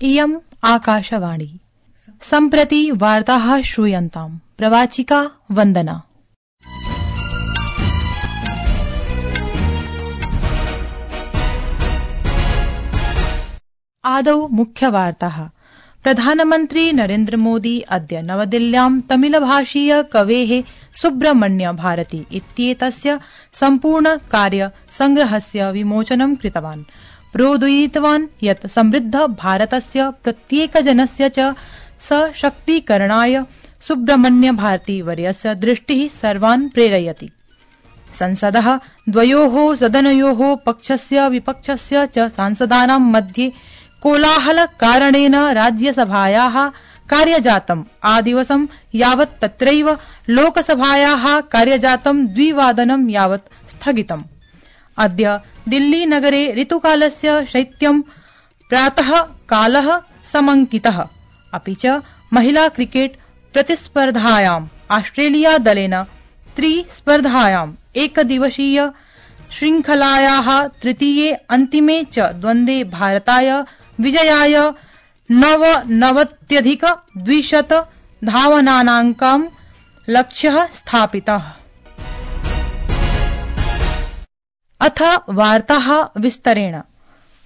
इयम् आकाशवाणी। सम्प्रति वार्ताः श्रूयन्ताम्। प्रवाचिका वन्दना। आदौ मुख्यवार्ताः। प्रधानमन्त्री नरेन्द्र मोदी अद्य नवदिल्ल्यां तमिलभाषीय कवेः सुब्रह्मण्य भारती इत्येतस्य सम्पूर्ण कार्य संग्रहस्य विमोचनं कृतवान्। प्रोदीरितवान् यत् समृद्ध भारतस्य प्रत्येकजनस्य च सशक्तीकरणाय सुब्रह्मण्य भारती वर्यस्य दृष्टिः सर्वान् प्रेरयति। संसदः द्वयोः सदनयोः पक्षस्य विपक्षस्य च सांसदानां मध्ये कोलाहलकारणेन राज्यसभायाः कार्यजातम् आदिवसं यावत् तत्रैव लोकसभायाः कार्यजातं 2 वादनं यावत् स्थगितम्। अद्य दिल्लीनगरे ऋतुकालस्य शैत्यं प्रातः कालः समङ्कितः। अपि च महिला क्रिकेट प्रतिस्पर्धायाम् ऑस्ट्रेलिया दलेन त्रिस्पर्धायाम् एकदिवसीय श्रृंखलायाः तृतीये अन्तिमे च द्वन्द्वे भारताय विजयाय 99,200 धावनानाङ्कां लक्ष्यः स्थापितः। अथ वार्ताः विस्तरेण।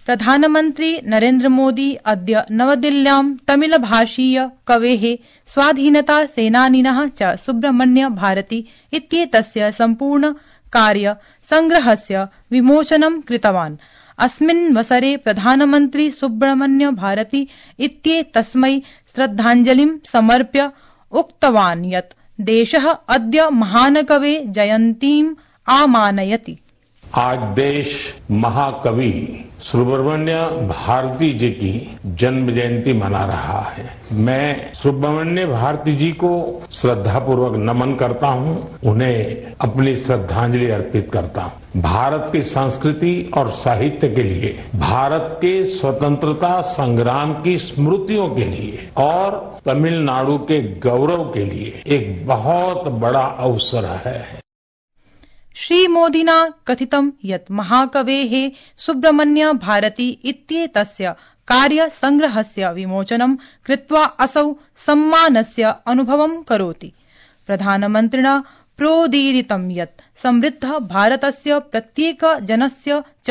प्रधानमन्त्री नरेन्द्र मोदी अद्य नवदिल्ल्यां तमिलभाषीय कवेः स्वाधीनता सेनानिनः च सुब्रह्मण्य भारती इत्येतस्य सम्पूर्ण कार्य संग्रहस्य विमोचनं कृतवान्। अस्मिन्वसरे प्रधानमन्त्री सुब्रह्मण्य भारती इत्येतस्मै श्रद्धाञ्जलिं समर्प्य उक्तवान् यत् देशः अद्य महानकवे जयन्तीम् आमानयति। आज देश महाकवि सुब्रह्मण्य भारती जी की जन्म जयंती मना रहा है। मैं सुब्रह्मण्य भारती जी को श्रद्धापूर्वक नमन करता हूं, उन्हें अपनी श्रद्धांजलि अर्पित करता हूं। भारत की संस्कृति और साहित्य के लिए, भारत के स्वतंत्रता संग्राम की स्मृतियों के लिए और तमिलनाडु के गौरव के लिए एक बहुत बड़ा अवसर है। श्रीमोदिना कथितं यत् महाकवेः सुब्रह्मण्य भारती इत्येतस्य कार्यसंग्रहस्य विमोचनं कृत्वा असौ सम्मानस्य अनुभवं करोति। प्रधानमन्त्रिणा प्रोदीरितं यत् समृद्ध भारतस्य प्रत्येकजनस्य च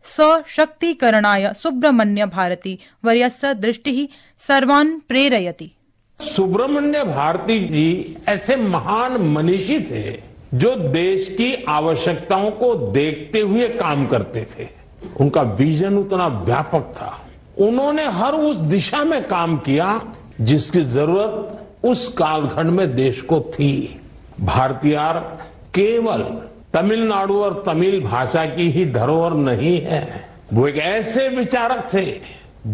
सशक्तीकरणाय सुब्रह्मण्य भारती वर्यस्य दृष्टिः सर्वान् प्रेरयति। सुब्रह्मण्य भारती जी ऐसे महान मनीषी थे जो देश की आवश्यकताओं को देखते हुए काम करते थे। उनका विजन उतना व्यापक था। उन्होंने हर उस दिशा में काम किया जिसकी जरूरत उस कालखंड में देश को थी। भारतीयार केवल तमिलनाडु और तमिल भाषा की ही धरोहर नहीं है, वो एक ऐसे विचारक थे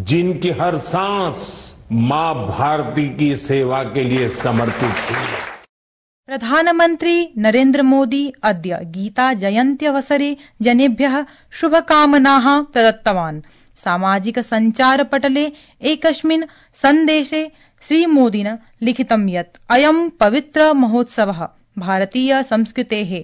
जिनकी हर सांस मां भारती की सेवा के लिए समर्पित थी। प्रधानमन्त्री नरेन्द्र मोदी अद्य गीता जयन्त्यवसरे जनेभ्यः शुभकामनाः प्रदत्तवान्। सामाजिक सञ्चारपटले एकस्मिन् सन्देशे श्रीमोदिना लिखितं यत् अयं पवित्र महोत्सवः भारतीय संस्कृतेः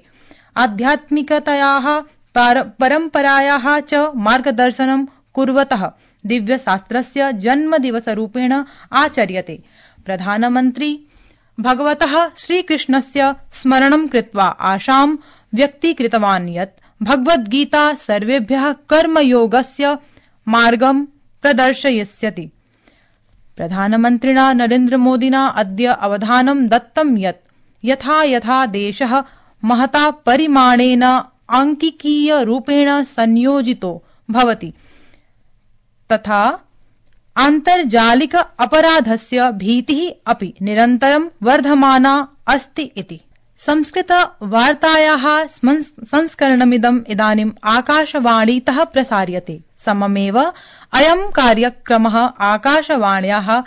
आध्यात्मिकतायाः परम्परायाः च मार्गदर्शनं कुर्वतः दिव्यशास्त्रस्य जन्मदिवसरूपेण आचर्यते। प्रधानमन्त्री भगवतः श्रीकृष्णस्य स्मरणं कृत्वा आशां व्यक्तीकृतवान् यत् भगवद्गीता सर्वेभ्यः कर्मयोगस्य मार्गं प्रदर्शयिष्यति। प्रधानमन्त्रिणा नरेन्द्र मोदिना अद्य अवधानं दत्तं यत् यथा यथा देशः महता परिमाणेन आङ्किकीयरूपेण संयोजितो भवति तथा आन्तर्जालिक अपराधस्य भीतिः अपि निरन्तरं वर्धमाना अस्ति इति। संस्कृत वार्तायाः संस्करणमिदम् इदानीम् आकाशवाणीतः प्रसार्यते। सममेव अयं कार्यक्रमः आकाशवाण्याः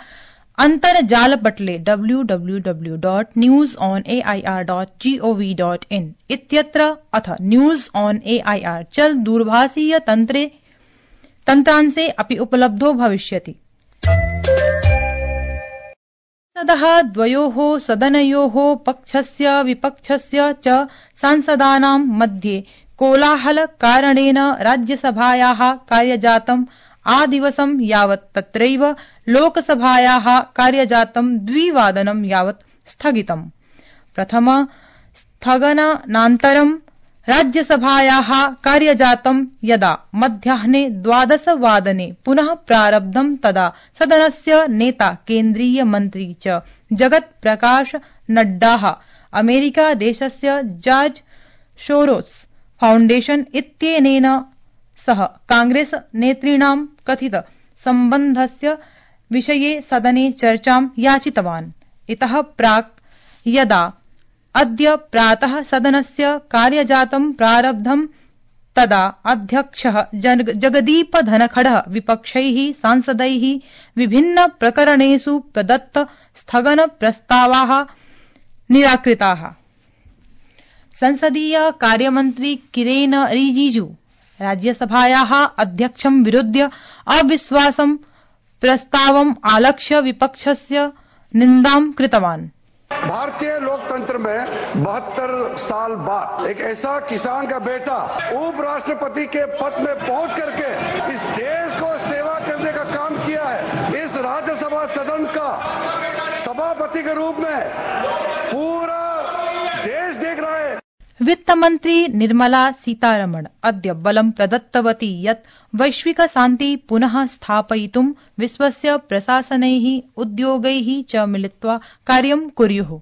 अन्तर्जालपटले www.newsonair.gov.in इत्यत्र अथ न्यूज ऑन एआईआर चल दूरभाषीय तन्त्रांशे अपि उपलब्धो भविष्यति। संसदः द्वयोः सदनयोः पक्षस्य विपक्षस्य च सांसदानां मध्ये कोलाहलकारणेन राज्यसभायाः कार्यजातम् आदिवसं यावत् तत्रैव लोकसभायाः कार्यजातं 2 वादनं यावत् स्थगितम्। प्रथम स्थगनानन्तरं राज्यसभायाः कार्यजातं यदा मध्याह्ने 12 वादने पुनः प्रारब्धं तदा सदनस्य नेता केन्द्रीय मन्त्री च जगत् प्रकाश नड्डाः अमेरिकादेशस्य जॉर्ज सोरोस फाउण्डेशन इत्यनेन सह कांग्रेस नेतॄणां कथित सम्बन्धस्य विषये सदने चर्चां याचितवान्। इतः प्राक् यदा अद्य प्रातः सदनस्य कार्यजातं प्रारब्धं तदा अध्यक्षः जगदीप धनखडः विपक्षैः सांसदैः विभिन्न प्रकरणेषु प्रदत्त स्थगन प्रस्तावाः निराकृताः। संसदीय कार्यमन्त्री किरेन रिजिजू राज्यसभायाः अध्यक्षं विरुध्य अविश्वासं प्रस्तावम् आलक्ष्य विपक्षस्य निन्दां कृतवान्। भारतीय लोकतंत्र में 72 साल बाद एक ऐसा किसान का बेटा उपराष्ट्रपति के पद में पहुंच करके इस देश को सेवा करने का काम किया है। इस राज्यसभा सदन का सभापति के रूप में पूरा देश देख रहा है। वित्तमन्त्री निर्मला सीतारमण अद्य बलं प्रदत्तवती यत् वैश्विक शान्ति पुनः स्थापयितुं विश्वस्य प्रशासनैः उद्योगैः च मिलित्वा कार्यं कुर्युः।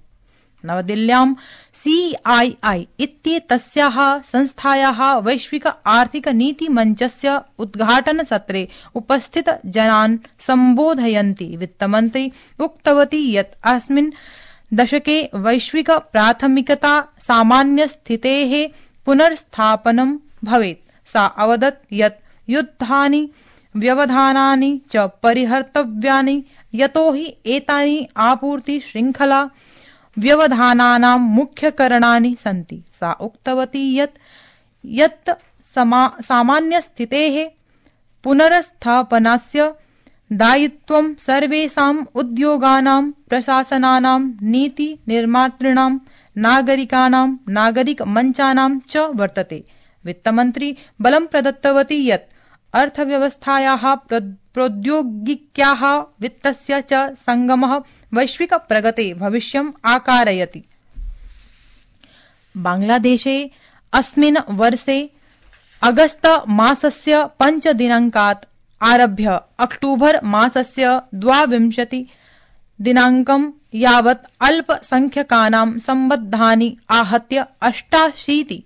नवदिल्ल्यां CII इत्येतस्याः संस्थायाः वैश्विक आर्थिक नीति मञ्चस्य उद्घाटनसत्रे उपस्थित जनान् सम्बोधयन्ती वित्तमन्त्री उक्तवती यत् अस्मिन् दशके वैश्विक प्राथमिकता सामान्यस्थितेः पुनर्स्थापनं भवेत्। सा अवदत् यत् युद्धानि व्यवधानानि च परिहर्तव्यानि यतोहि एतानि आपूर्ति श्रृंखला व्यवधानानां मुख्यकारणानि सन्ति। सा उक्तवती यत् सामान्यस्थितेः पुनर्स्थापनस्य दायित्वं सर्वेषाम् उद्योगानां प्रशासनानां नीति निर्मातॄणां नागरिकानां नागरिकमञ्चानां च वर्तते। वित्तमन्त्री बलं प्रदत्तवती यत् अर्थव्यवस्थायाः प्रौद्योगिक्याः वित्तस्य च संगमः वैश्विक प्रगते भविष्यम् आकारयति। बांग्लादेशे अस्मिन् वर्षे अगस्त मासस्य 5 दिनाङ्कात् आरभ्य अक्टूबर मासस्य 22 दिनाङ्कं यावत् अल्पसंख्यकानां सम्बद्धानि आहत्य 88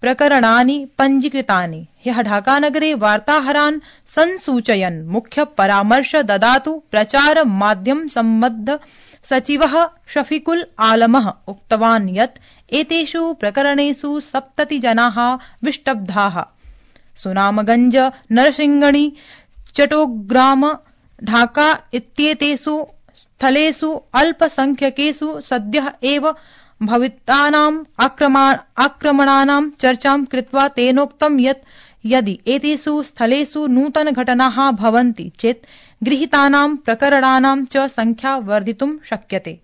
प्रकरणानि पञ्जीकृतानि। ह्यः ढाकानगरे वार्ताहरान् संसूचयन् मुख्य परामर्श ददातु प्रचार माध्यम सम्बद्ध सचिवः शफीकुल आलमः उक्तवान् यत् एतेषु प्रकरणेषु 70 जनाः विष्टब्धाः। सुनामगंज, नरसिंगणी, चट्टोग्राम, ढाका इत्येतेषु स्थलेषु अल्पसंख्यकेषु सद्यः एव भवितानाम् आक्रमणानां चर्चां कृत्वा तेनोक्तं यत् यदि एतेषु स्थलेषु नूतनघटनाः भवन्ति चेत् गृहीतानां प्रकरणानां च संख्या वर्धितुं शक्यते।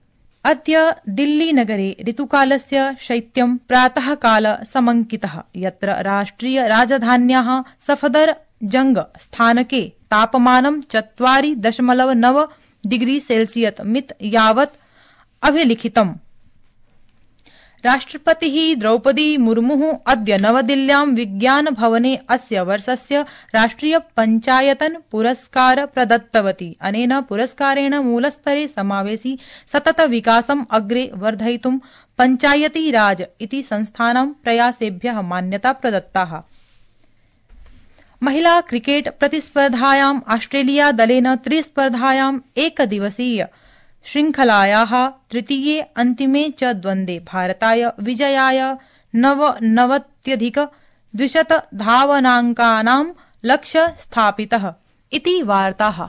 अद्य दिल्लीनगरे ऋतुकालस्य शैत्यं प्रातःकाल समङ्कितः, यत्र राष्ट्रिय राजधान्याः सफदरजंग स्थानके तापमानं 4.9 डिग्री सेल्सियस् मित यावत् अभिलिखितम्। राष्ट्रपतिः द्रौपदी मुर्मुः अद्य नवदिल्ल्यां विज्ञान भवने अस्य वर्षस्य राष्ट्रिय पञ्चायतन पुरस्कार प्रदत्तवती। अनेन पुरस्कारेण मूलस्तरे समावेशि सतत विकासम् अग्रे वर्धयितुं पञ्चायती राज इति संस्थानां प्रयासेभ्यः मान्यता प्रदत्ता। महिला क्रिकेट प्रतिस्पर्धायाम् ऑस्ट्रेलिया दलेन त्रिस्पर्धायाम् एकदिवसीय श्रृंखलायाः तृतीये अन्तिमे च द्वन्द्वे भारताय विजयाय 99,200 धावनाङ्कानां लक्ष्य स्थापितः इति वार्ताः।